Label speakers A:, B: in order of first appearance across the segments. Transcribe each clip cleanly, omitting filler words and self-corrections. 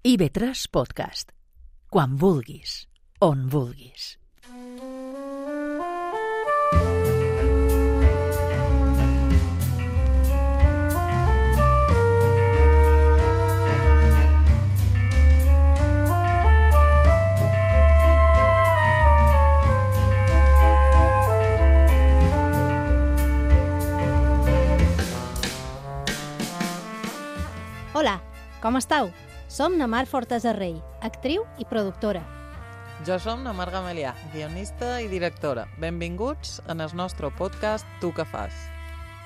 A: IB3 Podcast. Quan vulguis, on vulguis.
B: Hola, com esteu? Som na Mar Fortesa Rei, actriu i productora.
C: Jo som na Mar Gamelià, guionista i directora. Benvinguts en el nostre podcast Tu què fas?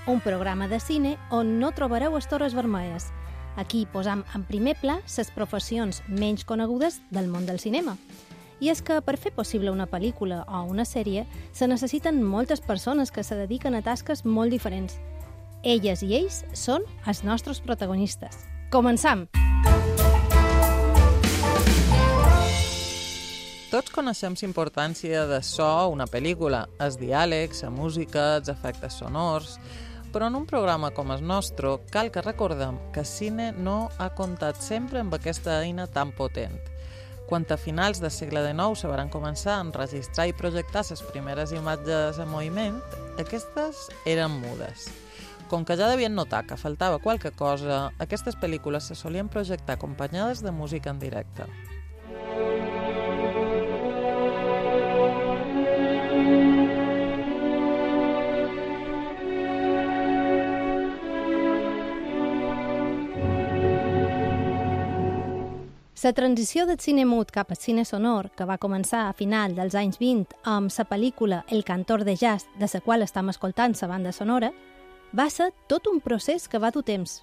B: Un programa de cine on no trobareu estores vermelles. Aquí posam en primer pla les professions menys conegudes del món del cinema. I és que per fer possible una pel·lícula o una sèrie se necessiten moltes persones que se dediquen a tasques molt diferents. Elles i ells són els nostres protagonistes. Començam!
C: Tots coneixem la importància de so a una pel·lícula, els diàlegs, la música, els efectes sonors, però en un programa com el nostre cal que recordem que el cine no ha comptat sempre amb aquesta eina tan potent. Quan a finals del segle XIX se van començar a enregistrar i projectar les primeres imatges en moviment, aquestes eren mudes. Com que ja devien notar que faltava qualque cosa, aquestes pel·lícules se solien projectar acompanyades de música en directe.
B: La transició del cine mut cap al cine sonor, que va començar a final dels anys 20 amb la pel·lícula El cantor de jazz, de la qual estem escoltant la banda sonora, va ser tot un procés que va dur temps.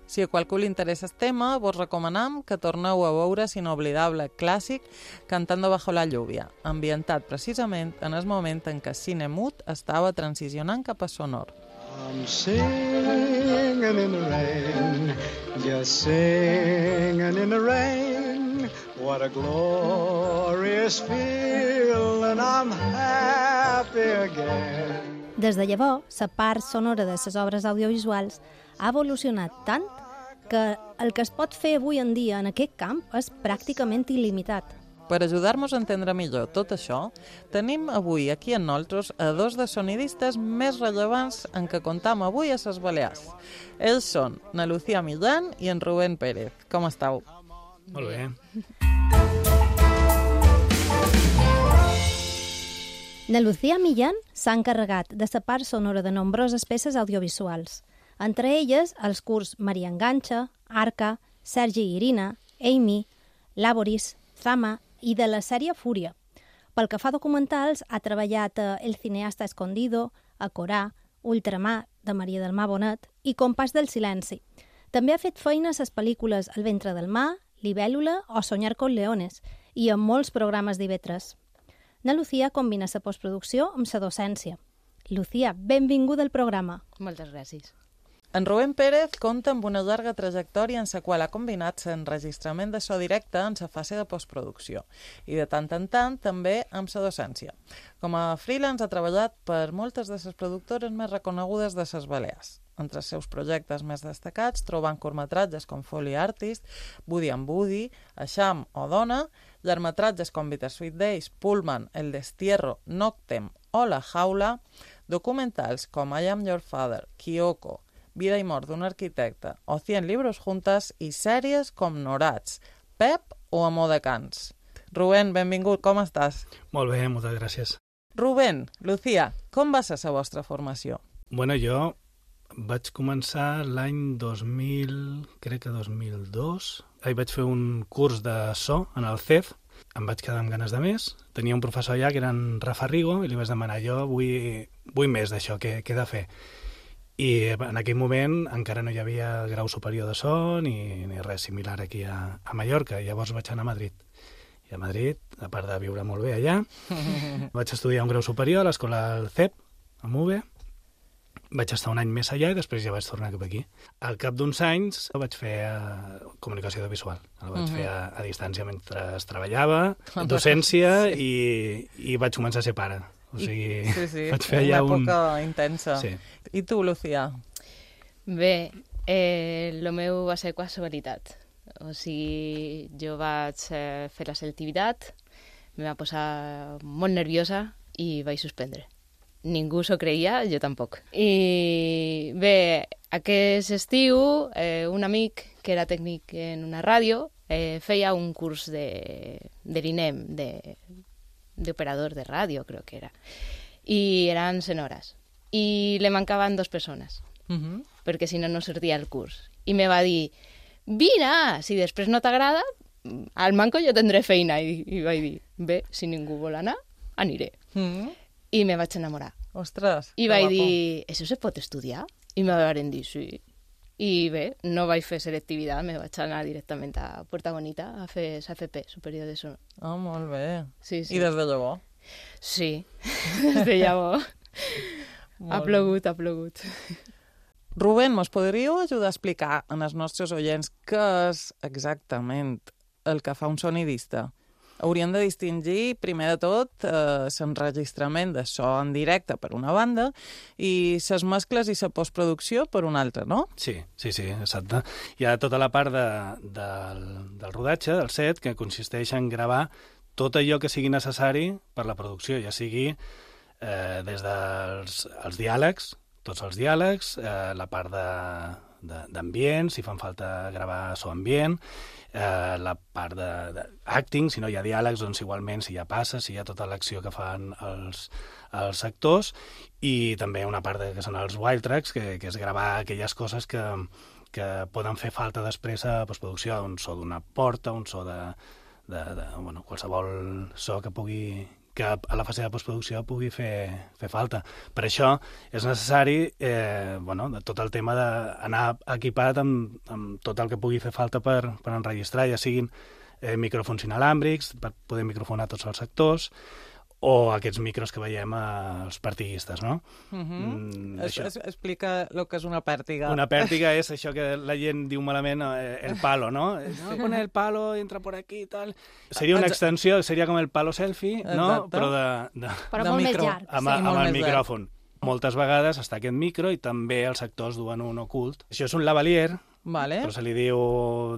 C: Si a qualcú li interessa el tema, vos recomanam que torneu a veure l'inoblidable clàssic Cantando bajo la lluvia, ambientat precisament en el moment en què el cine mut estava transicionant cap a sonor.
D: I'm singing in the rain, just singing in the rain. What a glorious feeling, I'm happy again.
B: Des de llavors, la part sonora de les obres audiovisuals ha evolucionat tant que el que es pot fer avui en dia en aquest camp és pràcticament il·limitat.
C: Per ajudar-nos a entendre millor tot això, tenim avui aquí en nosaltres a dos de sonidistes més rellevants en què comptam avui a les Balears. Ells són na Lucía Millán i en Rubén Pérez. Com esteu?
E: Molt bé.
B: Na Lucía Millán s'ha encarregat de la part sonora de nombroses peces audiovisuals, entre elles els curts Maria Enganxa, Arca, Sergi i Irina, Amy, Laboris, Zama i de la sèrie Fúria. Pel que fa a documentals, ha treballat a El cineasta escondido, a Corà, Ultramar, de Maria del Mar Bonet i Compàs del silenci. També ha fet feines a les pel·lícules El ventre del mar, Libèl·lula o Soñar con leones i en molts programes d'IV3. Na Lucía combina la postproducció amb la docència. Lucía, benvinguda al programa.
F: Moltes gràcies.
C: En Rubén Pérez compta amb una llarga trajectòria en la qual ha combinat l'enregistrament de so directe en la fase de postproducció i de tant en tant també amb la docència. Com a freelance ha treballat per moltes de les productores més reconegudes de les Balears. Entre els seus projectes més destacats trobant curtmetratges com Foley Artist, Woody and Woody, Eixam o Dona, llargmetratges com Bittersweet Days, Pullman, El destierro, Noctem o La jaula, documentals com I Am Your Father, Kyoko, Vida i mort d'un arquitecte o 100 libros juntas i sèries com Norats, Pep o Amor de Cans. Rubén, benvingut, com estàs?
E: Molt bé, moltes gràcies.
C: Rubén, Lucía, com va ser la vostra formació?
E: Bueno, jo vaig començar l'any 2000, crec que 2002. Ahir vaig fer un curs de so en el CEF. Em vaig quedar amb ganes de més. Tenia un professor allà que era en Rafa Rigo i li vaig demanar, jo vull més d'això, què he de fer? I en aquell moment encara no hi havia grau superior de so ni res similar aquí a Mallorca. Llavors vaig anar a Madrid. I a Madrid, a part de viure molt bé allà, vaig estudiar un grau superior a l'escola del CEP, a MUVE. Vaig estar un any més allà i després ja vaig tornar cap aquí. Al cap d'uns anys vaig fer comunicació audiovisual. El vaig fer a distància mentre treballava, docència i vaig començar a ser pare. O sigui,
C: sí,
E: vaig fer allà
C: una època intensa.
E: Sí.
C: I tu, Lucía?
F: Bé, el meu va ser quasi veritat. O sigui, jo vaig fer la selectivitat, me va posar molt nerviosa i vaig suspendre. Ningú s'ho creia, jo tampoc. I bé, aquest estiu, un amic que era tècnic en una ràdio feia un curs de l'INEM, d'operador de ràdio, crec que era. I eren 100 hores. I le mancaven 2 persones, perquè si no, no sortia el curs. I me va dir, vine, si després no t'agrada, al manco jo tindré feina. I vaig dir, bé, si ningú vol anar, aniré. I me vaig enamorar.
C: Ostres,
F: I vaig dir, ¿eso se pot estudiar? I me van dir, sí. I bé, no vaig fer selectivitat, me vaig anar directament a Puerta Bonita a fer SAFP, superior de sonor.
C: Molt bé.
F: Sí.
C: I des de llavors?
F: Sí, des de llavors. Ha plogut.
C: Rubén, mos podríeu ajudar a explicar als nostres oients què és exactament el que fa un sonidista? Hauríem de distingir, primer de tot, l'enregistrament de so en directe per una banda i les mescles i la postproducció per una altra, no?
E: Sí, exacte. Hi ha tota la part del rodatge, del set, que consisteix en gravar tot allò que sigui necessari per la producció, ja sigui des dels diàlegs, tots els diàlegs, la part d'ambient, si fan falta gravar so ambient, la part d'acting, si no hi ha diàlegs, doncs igualment si hi ha passes, si hi ha tota l'acció que fan els actors, i també una part que són els wild tracks, que és gravar aquelles coses que poden fer falta després a postproducció, un so d'una porta, un so de qualsevol so que a la fase de postproducció pugui fer falta. Per això és necessari tot el tema d'anar equipat amb tot el que pugui fer falta per enregistrar, ja siguin micròfons inalàmbrics, per poder microfonar tots els sectors, o aquests micros que veiem als partiguistes, no?
C: Explica el que és una pèrtiga.
E: Una pèrtiga és això que la gent diu malament, el palo, no? No, pon el palo, entra por aquí i tal. Seria una extensió, seria com el palo selfie, no? Però
B: Però molt més llarg.
E: Amb el micròfon. Moltes vegades està aquest micro i també els actors duen un ocult. Això és un lavalier, però se li diu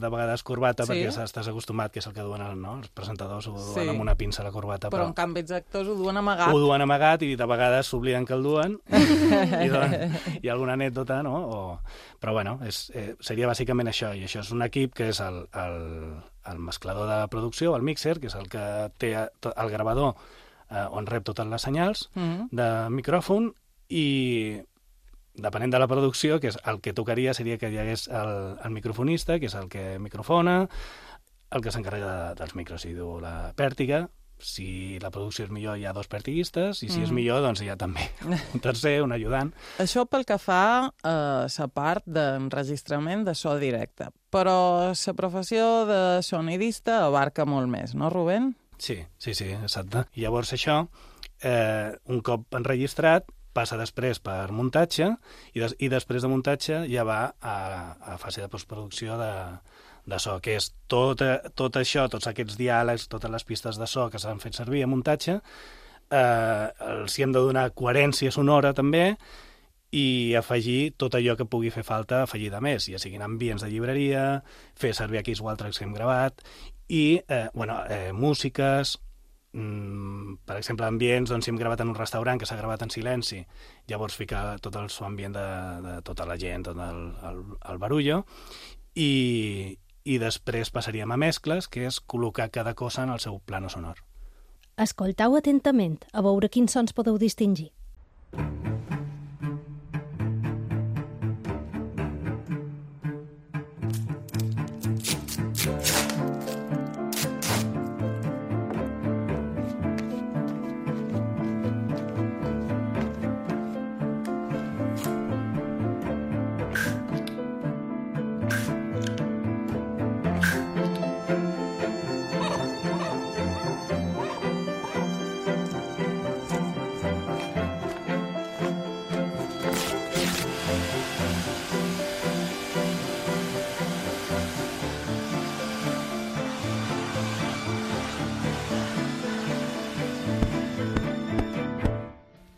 E: de vegades corbata perquè estàs acostumat, que és el que duen els presentadors, ho duen amb una pinça a la corbata.
C: Però en canvi els actors ho duen amagat.
E: Ho duen amagat i de vegades s'obliden que el duen i hi ha alguna anècdota, no? Però bueno, seria bàsicament això, i això és un equip que és el mesclador de producció, el mixer, que és el que té el gravador on rep totes les senyals de micròfon, i depenent de la producció, que és el que tocaria seria que hi hagués el microfonista, que és el que microfona, el que s'encarrega dels micros, si diu la pèrtiga. Si la producció és millor, hi ha 2 pèrtiguistes, i si és millor, doncs hi ha també un tercer, un ajudant.
C: Això pel que fa a la part d'enregistrament de so directe. Però la professió de sonidista abarca molt més, no, Rubén?
E: Sí, exacte. I llavors això, un cop enregistrat, passa després per muntatge, i després de muntatge ja va a fase de postproducció de so, que és tot això, tots aquests diàlegs, totes les pistes de so que s'han fet servir a muntatge, els hi hem de donar coherència sonora també, i afegir tot allò que pugui fer falta, afegir de més, ja siguin ambients de llibreria, fer servir aquells wild tracks que hem gravat, i músiques, per exemple, ambients, doncs si hem gravat en un restaurant que s'ha gravat en silenci, llavors ficar tot el so ambient de tota la gent, tot el barullo, i després passaríem a mescles, que és col·locar cada cosa en el seu plano sonor.
B: Escoltau atentament, a veure quins sons podeu distingir.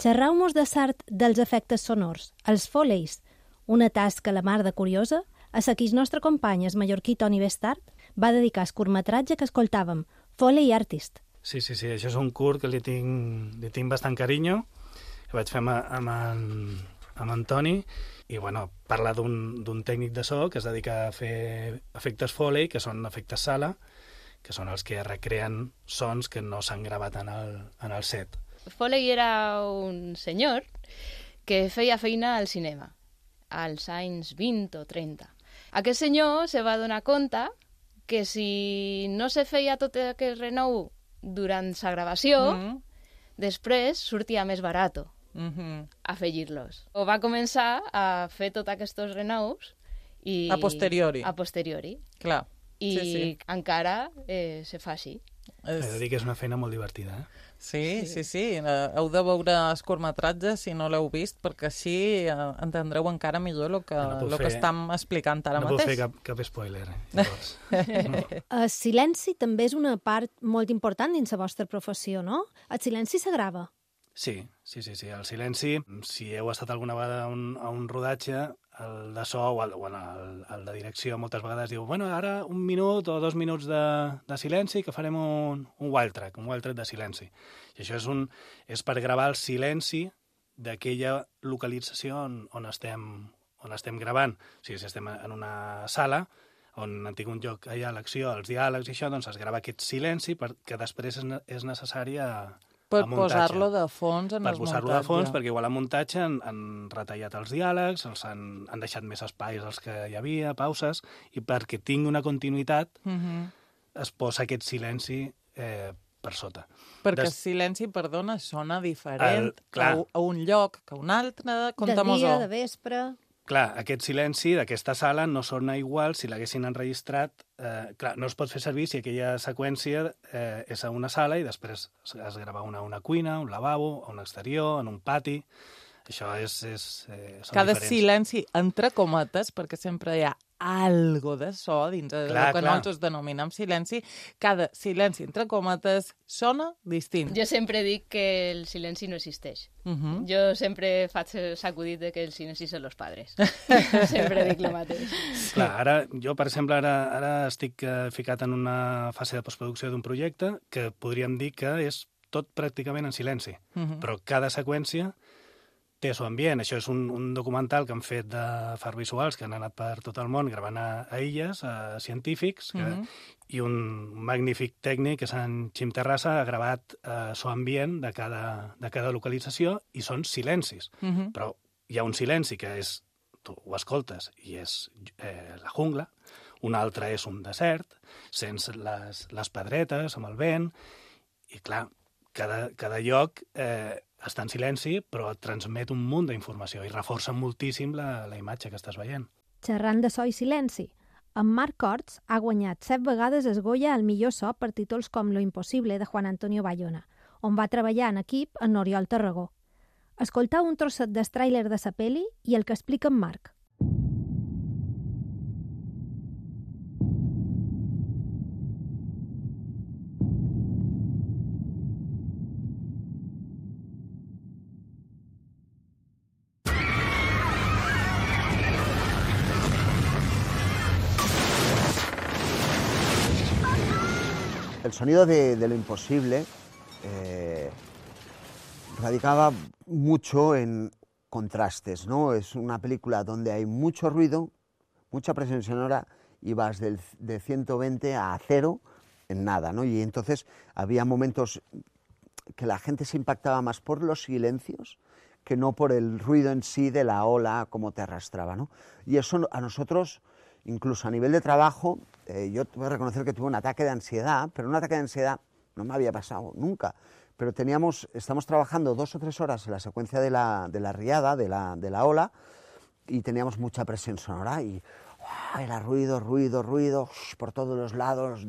B: Xerrau-mos de sart dels efectes sonors, els foleys, una tasca la mar de curiosa A la que el nostre company, el mallorquí Toni Bestart, va dedicar el curtmetratge que escoltàvem, Foley Artist.
E: Sí, això és un curt que li tinc bastant carinyo, que vaig fer amb en Toni, i bueno, parla d'un tècnic de so que es dedica a fer efectes Foley, que són efectes sala, que són els que recreen sons que no s'han gravat en el set.
F: Foley era un senyor que feia feina al cinema, als anys 20 o 30. Aquest senyor se va donar compte que si no se feia tot aquest renou durant la gravació, després sortia més barat afegir-los. O va començar a fer tots aquests renous i...
C: A posteriori.
F: A posteriori.
C: Clar.
F: I encara se fa així.
E: He de dir que és una feina molt divertida, eh?
C: Sí. Heu de veure els curtmetratges si no l'heu vist, perquè així entendreu encara millor el que estem explicant ara mateix.
E: No puc fer cap spoiler, llavors.
B: El silenci també és una part molt important dins la vostra professió, no? El silenci s'agrava.
E: Sí. El silenci, si heu estat alguna vegada a un rodatge, el de so o el de direcció moltes vegades diu ara 1 minut o 2 minuts de silenci que farem un wild track de silenci. I això és per gravar el silenci d'aquella localització on estem gravant. O sigui, si estem en una sala on han tingut lloc allà l'acció, els diàlegs i això, doncs es grava aquest silenci perquè després és necessari
C: per posar-lo de fons en el muntatge.
E: Per posar-lo de fons, perquè igual al muntatge han retallat els diàlegs, han deixat més espais dels que hi havia, pauses, i perquè tingui una continuïtat es posa aquest silenci per sota.
C: Perquè el silenci, perdona, sona diferent a un lloc que a un altre.
B: De dia, de vespre...
E: Clar, aquest silenci d'aquesta sala no sona igual si l'haguessin enregistrat. Clar, no es pot fer servir si aquella seqüència és a una sala i després es grava una a una cuina, un lavabo, a un exterior, en un pati. Això són
C: cada
E: diferents.
C: Silenci, entre cometes, perquè sempre hi ha algo de so dins del que nosaltres denominem silenci, cada silenci, entre cometes, sona distint.
F: Jo sempre dic que el silenci no existeix. Jo sempre faig sacudit de que el silenci són els padres. Sempre dic el mateix.
E: Clar, ara, jo, per exemple, ara estic ficat en una fase de postproducció d'un projecte que podríem dir que és tot pràcticament en silenci, però cada seqüència té el seu ambient. Això és un documental que han fet de fars visuals que han anat per tot el món gravant a illes, a científics, i un magnífic tècnic, que és en Xim Terrassa, ha gravat el seu ambient de cada localització i són silencis. Però hi ha un silenci que és, tu ho escoltes, i és la jungla, un altre és un desert, sents les pedretes amb el vent, i clar, cada lloc està en silenci, però et transmet un munt d'informació i reforça moltíssim la imatge que estàs veient.
B: Xerrant de so i silenci, en Marc Corts ha guanyat 7 vegades el Goya al millor so per títols com Lo impossible, de Juan Antonio Bayona, on va treballar en equip amb Oriol Tarragó. Escoltau un trosset del tràiler de sa peli i el que explica en Marc.
G: El sonido de Lo imposible radicaba mucho en contrastes, ¿no? Es una película donde hay mucho ruido, mucha presión sonora y vas de 120 a 0 en nada, ¿no? Y entonces había momentos que la gente se impactaba más por los silencios que no por el ruido en sí de la ola, como te arrastraba, ¿no? Y eso a nosotros, incluso a nivel de trabajo, yo voy a reconocer que tuve un ataque de ansiedad, pero un ataque de ansiedad no me había pasado nunca. Pero estamos trabajando 2 o 3 horas en la secuencia de la riada, de la ola, y teníamos mucha presión sonora y era ruido por todos los lados.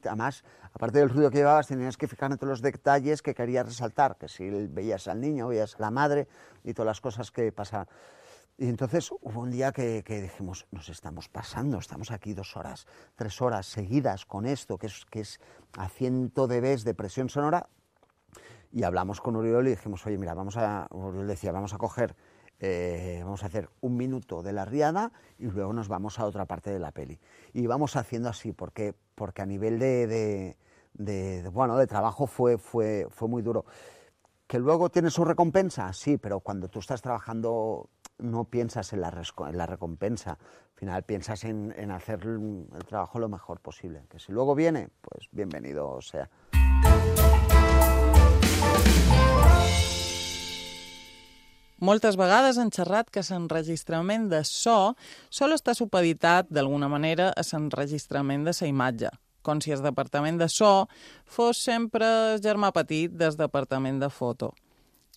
G: Además, aparte del ruido que llevabas, tenías que fijar en todos los detalles que querías resaltar, que si veías al niño, veías a la madre y todas las cosas que pasaban. Y entonces hubo un día que dijimos, nos estamos pasando, estamos aquí 2 horas, 3 horas seguidas con esto, que es a 100 dB de presión sonora. Y hablamos con Oriol y dijimos, oye, mira, Oriol decía, vamos a coger vamos a hacer 1 minuto de la riada y luego nos vamos a otra parte de la peli. Y vamos haciendo así, porque a nivel de trabajo fue muy duro. ¿Que luego tiene su recompensa? Sí, pero cuando tú estás trabajando no piensas en la recompensa. Al final piensas en hacer el trabajo lo mejor posible. Que si luego viene, pues bienvenido sea.
C: Moltes vegades han xerrat que l'enregistrament de so sol està supeditat, d'alguna manera, a l'enregistrament de la imatge, com si el departament de so fos sempre el germà petit del departament de foto.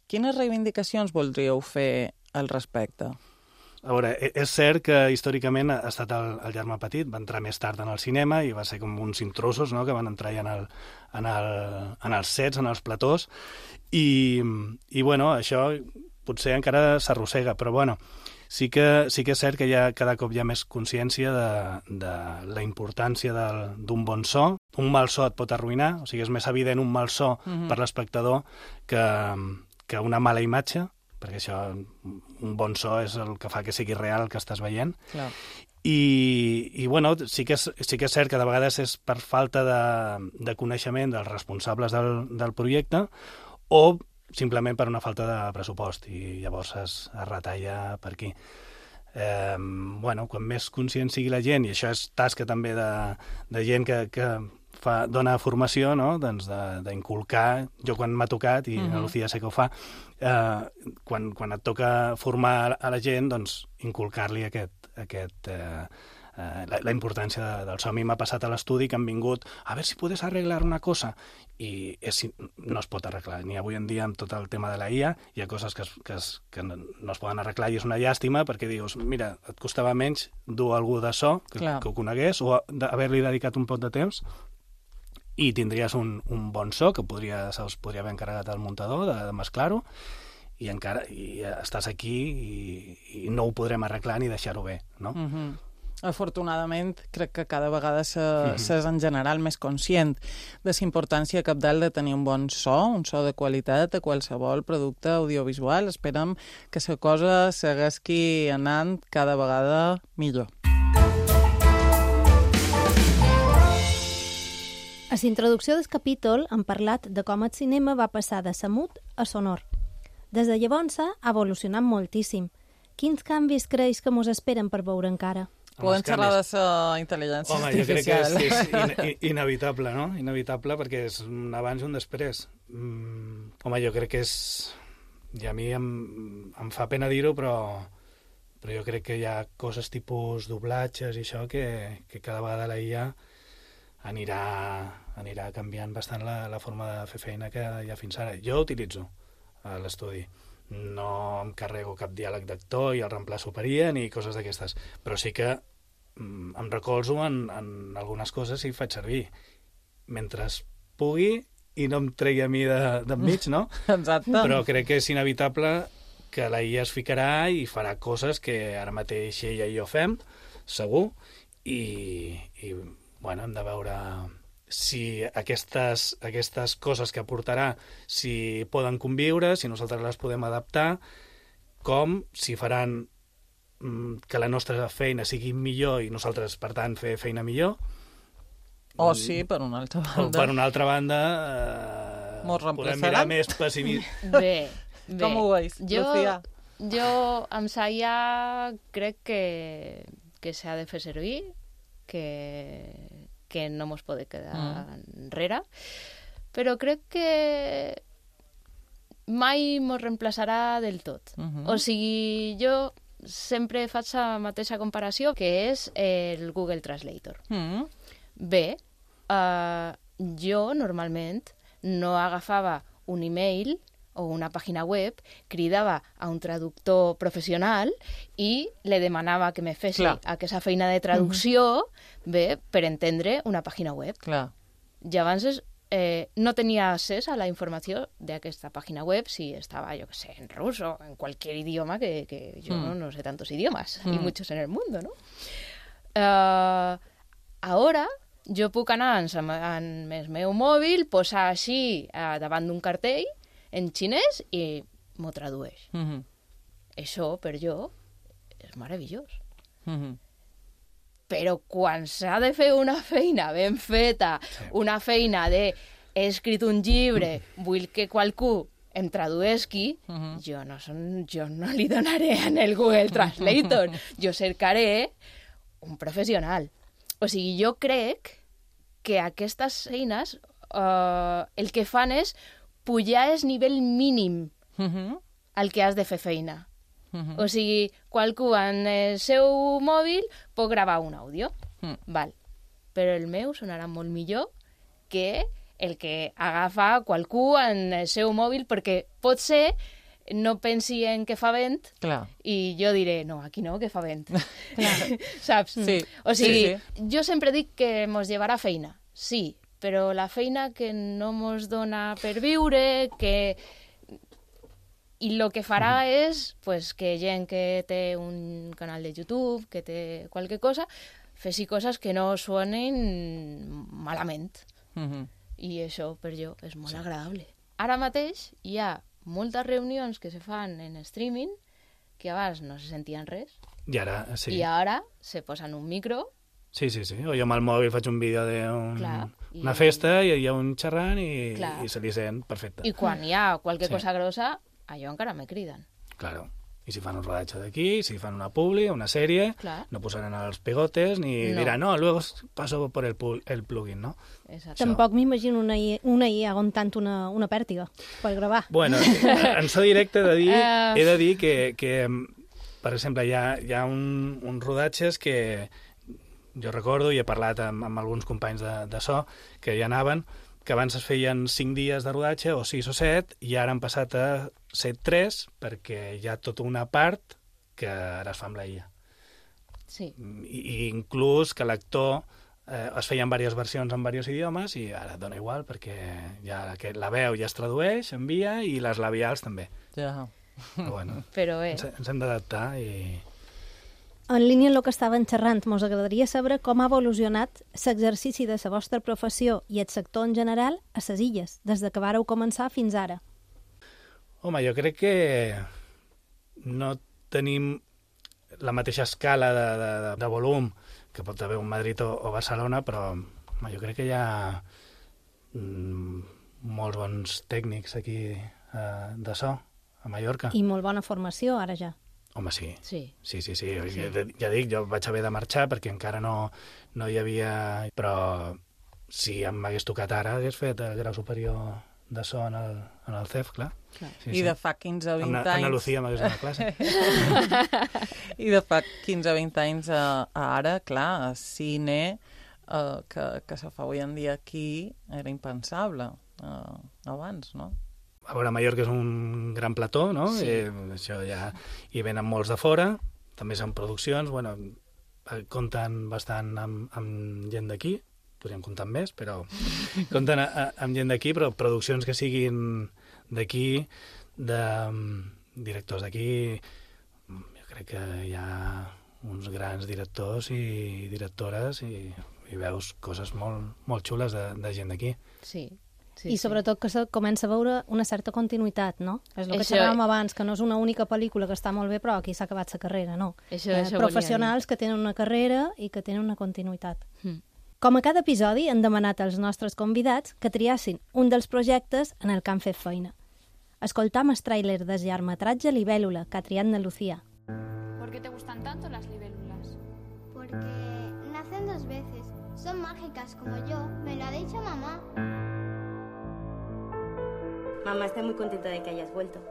C: Quines reivindicacions voldríeu fer al respecte?
E: A veure, és cert que històricament ha estat el germà petit, va entrar més tard en el cinema i va ser com uns intrusos, no?, que van entrar ja en els sets, en els platós, i bueno, això potser encara s'arrossega, però bueno, sí que és cert que cada cop hi ha més consciència de la importància d'un bon so. Un mal so et pot arruïnar, o sigui, és més evident un mal so per l'espectador que una mala imatge, perquè això, un bon so és el que fa que sigui real el que estàs veient.
C: Clar.
E: I bueno, sí que és cert que de vegades és per falta de coneixement dels responsables del projecte o simplement per una falta de pressupost i llavors es retalla per aquí. Bueno, quan més conscient sigui la gent, i això és tasca també de gent que dona formació, no?, doncs d'inculcar. Jo quan m'ha tocat, i la Lucía sé que ho fa, quan et toca formar a la gent, doncs inculcar-li la importància del so. A mi m'ha passat a l'estudi que han vingut a veure si podes arreglar una cosa i no es pot arreglar. Ni avui en dia amb tot el tema de la IA hi ha coses que no es poden arreglar i és una llàstima perquè dius, mira, et costava menys dur algú de so que ho conegués o haver-li dedicat un pot de temps i tindries un bon so que se'ls podria haver encarregat al muntador de mesclar-ho i estàs aquí i no ho podrem arreglar ni deixar-ho bé, no?
C: Afortunadament, crec que cada vegada s'és en general més conscient de la importància cabdal de tenir un bon so, un so de qualitat a qualsevol producte audiovisual. Esperem que la cosa segueixi anant cada vegada millor.
B: A la introducció del capítol hem parlat de com el cinema va passar de samut a sonor. Des de llavors ha evolucionat moltíssim. Quins canvis creus que mos esperen per veure encara?
C: Podem xerrar de la intel·ligència artificial.
E: Home, jo crec que és inevitable, no? Inevitable perquè és un abans i un després. Home, jo crec que és... I a mi em fa pena dir-ho, però jo crec que hi ha coses tipus doblatges i això que cada vegada la IA anirà canviant bastant la forma de fer feina que hi ha fins ara. Jo utilitzo a l'estudi. No em carrego cap diàleg d'actor i el reemplaço per IA ni coses d'aquestes, però sí que em recolzo en algunes coses i faig servir mentre pugui i no em tregui a mi d'enmig, no?
C: Exacte.
E: Però crec que és inevitable que la IA es ficarà i farà coses que ara mateix ella i jo fem, segur, i bueno, hem de veure si aquestes coses que aportarà si poden conviure, si nosaltres les podem adaptar, com si faran que la nostra feina sigui millor i nosaltres, per tant, fer feina millor.
C: O sí, per una altra banda.
E: O per una altra banda, podem mirar més pessimista.
F: Bé.
C: Com ho veus, Lucía?
F: Jo amb la IA crec que s'ha de fer servir, que no mos pot quedar enrere, però crec que mai mos reemplaçarà del tot. O sigui, jo sempre faig la mateixa comparació, que és el Google Translator. Bé, jo normalment no agafava un email o una pàgina web, cridava a un traductor professional i le demanava que me fes aquesta feina de traducció per entendre una pàgina web. I abans no tenia accés a la informació d'aquesta pàgina web si estava, jo que sé, en rus o en qualsevol idioma, que jo no sé tantos idiomas, y muchos en el mundo, ¿no? Ara jo puc anar en el meu mòbil, posar així davant d'un cartell en xinès i m'ho tradueix. Això, per jo, és meravellós.
C: Mhm.
F: Però quan s'ha de fer una feina ben feta, una feina de he escrit un llibre, vull que qualcú em traduesqui, jo no li donaré en el Google Translator, jo cercaré un professional. O sigui, jo crec que aquestes eines el que fan és pujar el nivell mínim al que has de fer feina. O sigui, qualcú en el seu mòbil pot gravar un àudio, val. Però el meu sonarà molt millor que el que agafa qualcú en el seu mòbil, perquè pot ser no pensi en que fa vent i jo diré, no, aquí no, que fa vent. Saps?
C: Sí.
F: O sigui, jo sempre dic que mos llevarà feina, sí, però la feina que no mos dona per viure, que... I el que farà és pues, que gent que té un canal de YouTube, que té qualque cosa, fessi coses que no suenen malament. I això per jo és molt agradable. Ara mateix hi ha moltes reunions que se fan en streaming que abans no se sentien res.
E: I ara, sí.
F: I ara se posen un micro.
E: Sí. O jo amb el mòbil faig un vídeo d'una festa i hi ha un xerrant i se li sent perfecte.
F: I quan hi ha qualque cosa grossa, allò encara me criden.
E: Claro. I si fan un rodatge d'aquí, si fan una publi, una sèrie, no posaran els pegotes ni diran, no, luego paso por el plugin, no?
F: Exacte.
B: Tampoc m'imagino una IA aguantant una pèrtiga per gravar.
E: Bueno, en so directe he de dir que per exemple, hi ha uns rodatges que jo recordo i he parlat amb alguns companys de so que hi anaven, que abans es feien 5 dies de rodatge, o 6 o 7, i ara han passat a ser 3, perquè hi ha tota una part que ara es fa amb la IA.
F: Sí.
E: I inclús que l'actor es feien diverses versions en diversos idiomes i ara dona igual, perquè ja la veu ja es tradueix, envia, i les labials també.
C: Ja.
E: Però bueno, ens hem d'adaptar i...
B: En línia amb el que estaven xerrant, mos agradaria saber com ha evolucionat l'exercici de la vostra professió i el sector en general a les illes, des de que vàreu començar fins ara.
E: Home, jo crec que no tenim la mateixa escala de volum que pot haver un Madrid o Barcelona, però jo crec que hi ha molts bons tècnics aquí de so, a Mallorca.
B: I molt bona formació, ara ja.
E: Home, sí.
F: Sí.
E: Ja dic, jo vaig haver de marxar perquè encara no hi havia... Però si em m'hagués tocat ara, hagués fet el grau superior de so en el CEF, clar.
C: I de fa 15 o 20 anys...
E: Ana Lucía m'hagués donat classe.
C: I de fa 15 o 20 anys a ara, clar, cine que se fa avui en dia aquí era impensable abans, no?
E: A veure, Mallorca és un gran plató, no?
F: Sí.
E: Això ja hi venen molts de fora, també són produccions, bueno, compten bastant amb gent d'aquí, podríem comptar amb més, però compten amb gent d'aquí, però produccions que siguin d'aquí, de directors d'aquí, jo crec que hi ha uns grans directors i directores i veus coses molt xules de gent d'aquí.
F: Sí.
B: I sobretot que se comença a veure una certa continuïtat, no? És el que xerràvem abans, que no és una única pel·lícula que està molt bé, però aquí s'ha acabat la carrera, no? Professionals que tenen una carrera i que tenen una continuïtat. Com a cada episodi, hem demanat als nostres convidats que triassin un dels projectes en el que han fet feina. Escoltam el tràiler del llargmetratge Libélula, que ha triat na Lucía.
H: ¿Por qué te gustan tanto las libélulas?
I: Porque nacen 2 veces. Son mágicas como yo, me lo ha dicho mamá.
J: Mamá está muy contenta de que hayas vuelto.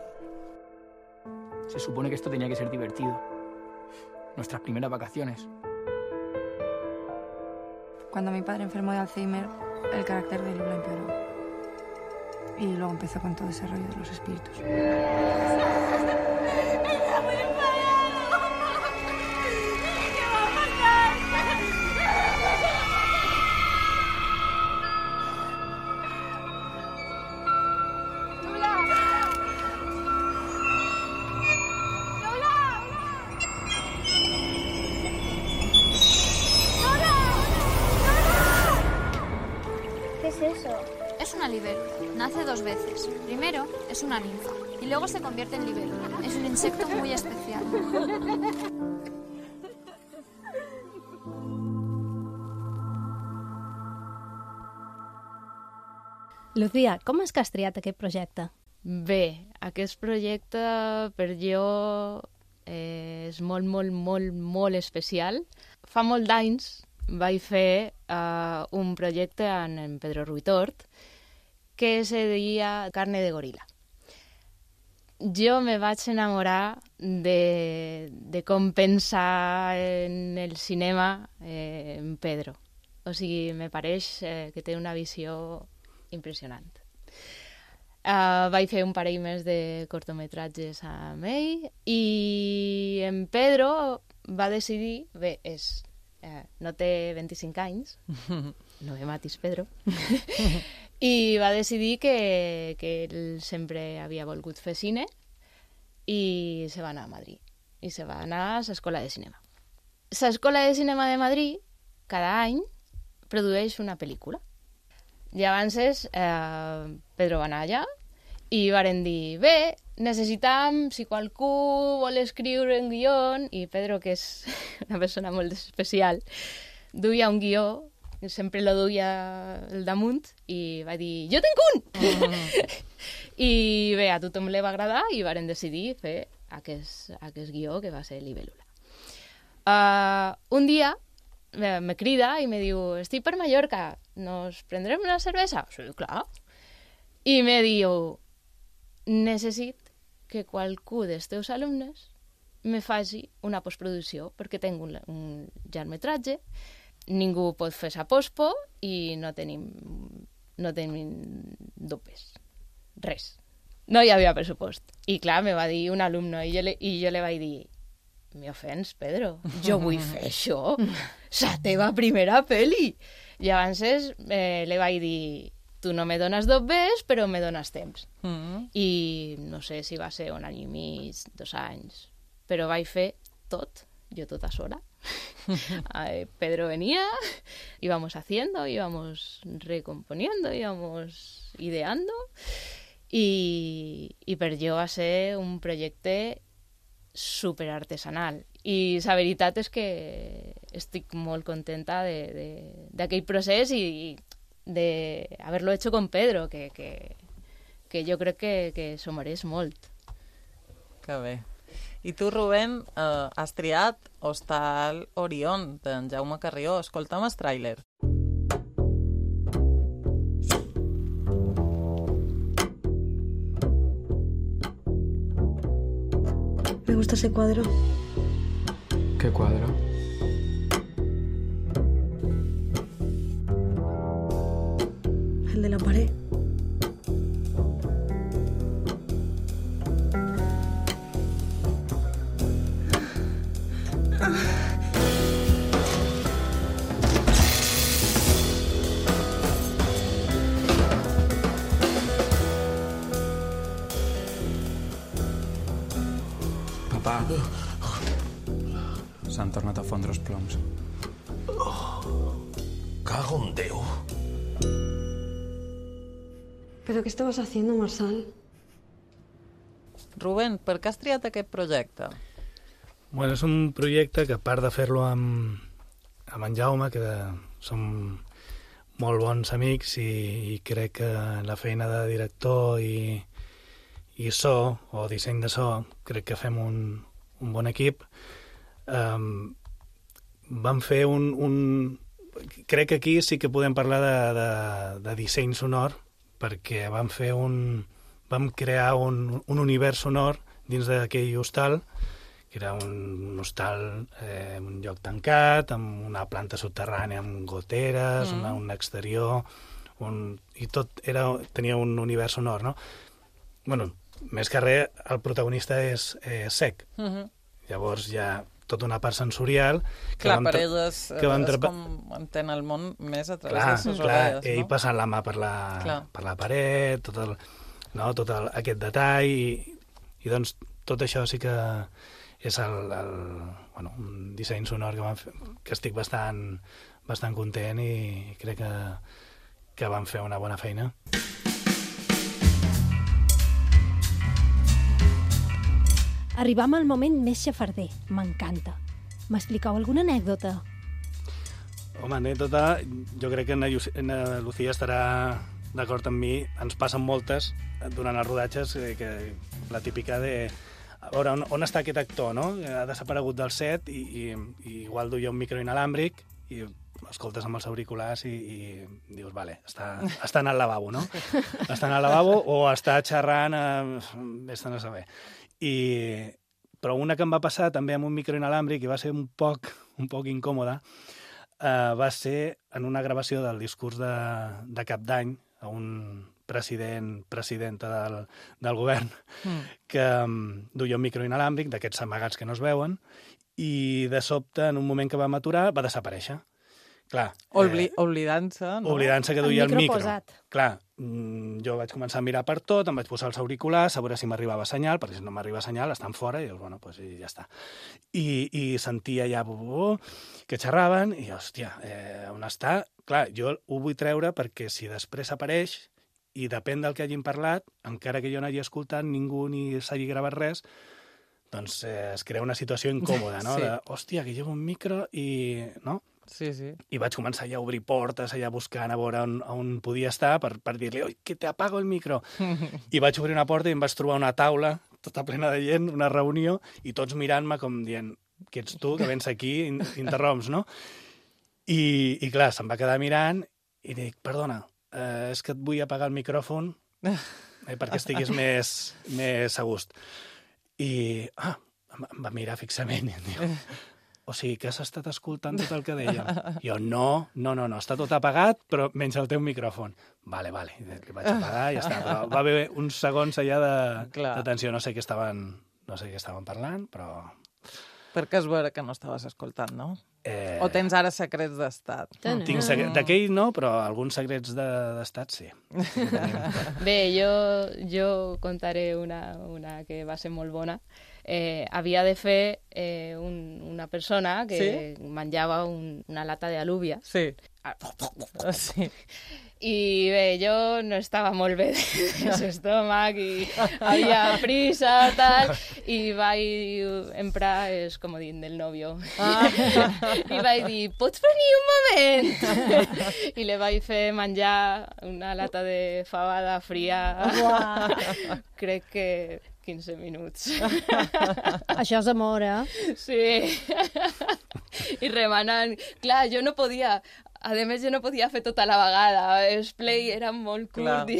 K: Se supone que esto tenía que ser divertido. Nuestras primeras vacaciones.
H: Cuando mi padre enfermó de Alzheimer, el carácter de Lula empeoró. Y luego empezó con todo ese rollo de los espíritus.
I: ¿Qué es eso?
L: Es una libélula. Nace 2 veces. Primero es una ninfa y luego se convierte en libélula. Es un insecto muy especial.
B: Lucía, com és que has triat aquest projecte?
F: Bé, aquest projecte per jo és molt, molt, molt, molt especial. Fa molt d'anys vaig fer un projecte amb en Pedro Ruitort que se deia Carne de gorila. Jo me vaig enamorar de com pensar en el cinema en Pedro. O sigui, me pareix que té una visió impressionant. Vaig fer un parell més de cortometratges amb ell i en Pedro va decidir, bé, no té 25 anys, no me matis, Pedro, i va decidir que ell sempre havia volgut fer cine i se va anar a Madrid, i se va anar a l'Escola de Cinema. L'Escola de Cinema de Madrid cada any produeix una pel·lícula. I abans Pedro va anar allà i varen dir, bé, necessitam, si qualcú vol escriure un guió, i Pedro, que és una persona molt especial, duia un guió, sempre lo duia al damunt, i va dir, jo tinc un! I bé, a tothom li va agradar i varen decidir fer aquest guió, que va ser Libélula. Un dia me crida i me diu, estic per Mallorca, ¿nos prendrem una cervesa? Sí, clar. I me diu, necessit que qualcú dels teus alumnes me faci una postproducció, perquè tinc un llargmetratge, ningú pot fer sa pospo i no tenim dopes. Res. No hi havia pressupost. I clar, me va dir un alumne i jo le vaig dir, me ofens, Pedro, jo vull fer això, la teva primera pel·li. I abans le vaig dir, tu no me dones dopes, però me dones temps. I no sé si va ser 1 any i mig, 2 anys, però vaig fer tot, yo tota sola. Pedro venía, íbamos haciendo, íbamos recomponiendo, íbamos ideando, i per jo va ser un projecte super artesanal. I la veritat és que estic molt contenta d'aquell procés i d'haver-lo hecho con Pedro, que jo crec que s'ho mereix molt.
C: Que bé. I tu, Rubén, has triat Hostal Orión, d'en Jaume Carrió. Escolta'm el tràiler.
M: Me gusta ese cuadro.
K: ¿Qué cuadro?
M: El de la pared.
K: Papà, s'han tornat a fondre els ploms.
N: Cago en Déu.
M: ¿Pero qué estabas haciendo, Marsal?
C: Rubén, per què has triat aquest projecte?
E: Bueno, és un projecte que, a part de fer-lo amb en Jaume, que som molt bons amics i crec que la feina de director i so, o disseny de so, crec que fem un bon equip. Vam fer crec que aquí sí que podem parlar de disseny sonor, perquè vam crear un univers sonor dins d'aquell hostal, que era un hostal, un lloc tancat, amb una planta subterrània, amb goteres, un exterior, i tot tenia un univers sonor, no? Bueno, més que res, el protagonista és cec. Llavors hi ha tota una part sensorial...
C: Clar, per ell és com entén el món més a través de les orelles, no?
E: Ell passant la mà per la paret, tot aquest detall, i doncs tot això sí que és un disseny sonor que estic bastant content i crec que van fer una bona feina.
B: Arribam al moment més xafarder. M'encanta. M'expliqueu alguna anècdota?
E: Home, anècdota, jo crec que na Lucía estarà d'acord amb mi. Ens passen moltes durant els rodatges, que la típica de... A veure, on està aquest actor, no? Ha desaparegut del set i igual duia un micro inalàmbric i escoltes amb els auriculars i dius, vale, està en el lavabo, no? Està en el lavabo o està xerrant, vés-te'n a saber. Però una que em va passar també amb un micro inalàmbric i va ser un poc incòmoda, va ser en una gravació del discurs de Cap d'Any a un presidenta del govern que duia un micro inalàmbric d'aquests amagats que no es veuen i de sobte, en un moment que vam aturar, va desaparèixer. Clar,
C: oblidant-se, no?
E: Oblidant-se que duia el micro.
B: Posat.
E: Clar, jo vaig començar a mirar per tot, em vaig posar els auriculars, a veure si m'arribava senyal, perquè si no m'arriba senyal estan fora, i dius, bueno, pues ja està. I sentia ja que xerraven, i hòstia, on està? Clar, jo ho vull treure perquè si després apareix, i depèn del que hagin parlat, encara que jo no hagi escoltat ningú ni s'hagi gravat res, doncs es crea una situació incòmoda, no?
C: Sí.
E: Hòstia, que llevo un micro i... no?
C: Sí.
E: I vaig començar ja a obrir portes, allà buscant a veure on podia estar per dir-li, oi, que te apago el micro. I vaig obrir una porta i em vaig trobar una taula tota plena de gent, una reunió, i tots mirant-me com dient, que ets tu, que vens aquí, interromps, no? I clar, se'm va quedar mirant i dic, perdona, és que et vull apagar el micròfon perquè estiguis més a gust. I em va mirar fixament i em diu, o sigui, que has estat escoltant tot el que deia? Jo, no, està tot apagat, però menys el teu micròfon. Vale, li vaig apagar i ja està. Però va haver uns segons allà d'atenció, no sé què estaven parlant, però...
C: Perquè es veure que no estaves escoltant, no? O tens ara secrets d'estat?
E: D'aquell no, però alguns secrets d'estat sí.
F: Bé, jo contaré una que va ser molt bona. Havia de fer una persona que menjava una lata d'alúvia.
C: Sí.
F: I bé, jo no estava molt bé de l'estómac i havia prisa, tal, i vaig emprar el comodín del novio. I vaig dir, pots venir un moment? I li vaig fer menjar una lata de fabada fria. Crec que 15 minuts.
B: Això és amor,
F: Sí. I remenant. Clar, jo no podia... A més, jo no podia fer tota la vegada. El play era molt curt.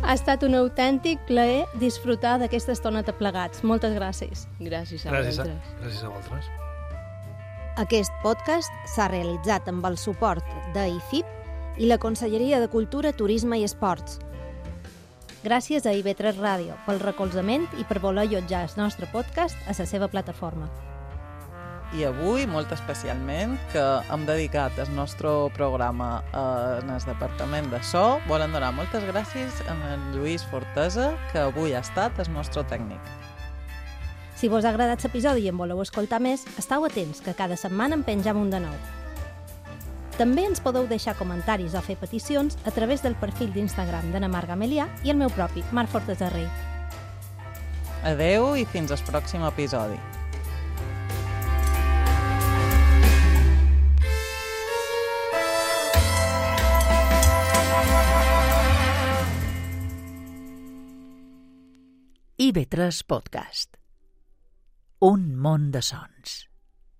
B: Ha estat un autèntic plaer disfrutar d'aquesta estoneta plegats. Moltes gràcies.
F: Gràcies a vosaltres.
E: Gràcies a vosaltres.
B: Aquest podcast s'ha realitzat amb el suport d'IFIP i la Conselleria de Cultura, Turisme i Esports. Gràcies a IB3 Ràdio pel recolzament i per voler allotjar el nostre podcast a la seva plataforma.
C: I avui, molt especialment, que hem dedicat el nostre programa en el Departament de So, volen donar moltes gràcies a en Lluís Fortesa, que avui ha estat el nostre tècnic.
B: Si vos ha agradat l'episodi i en voleu escoltar més, esteu atents, que cada setmana en penjam un de nou. També ens podeu deixar comentaris o fer peticions a través del perfil d'Instagram d'Anna Mar Gamelià i el meu propi, Marc Fortesa Rei.
C: Adeu i fins al pròxim episodi.
A: IB3 Podcast. Un món de sons.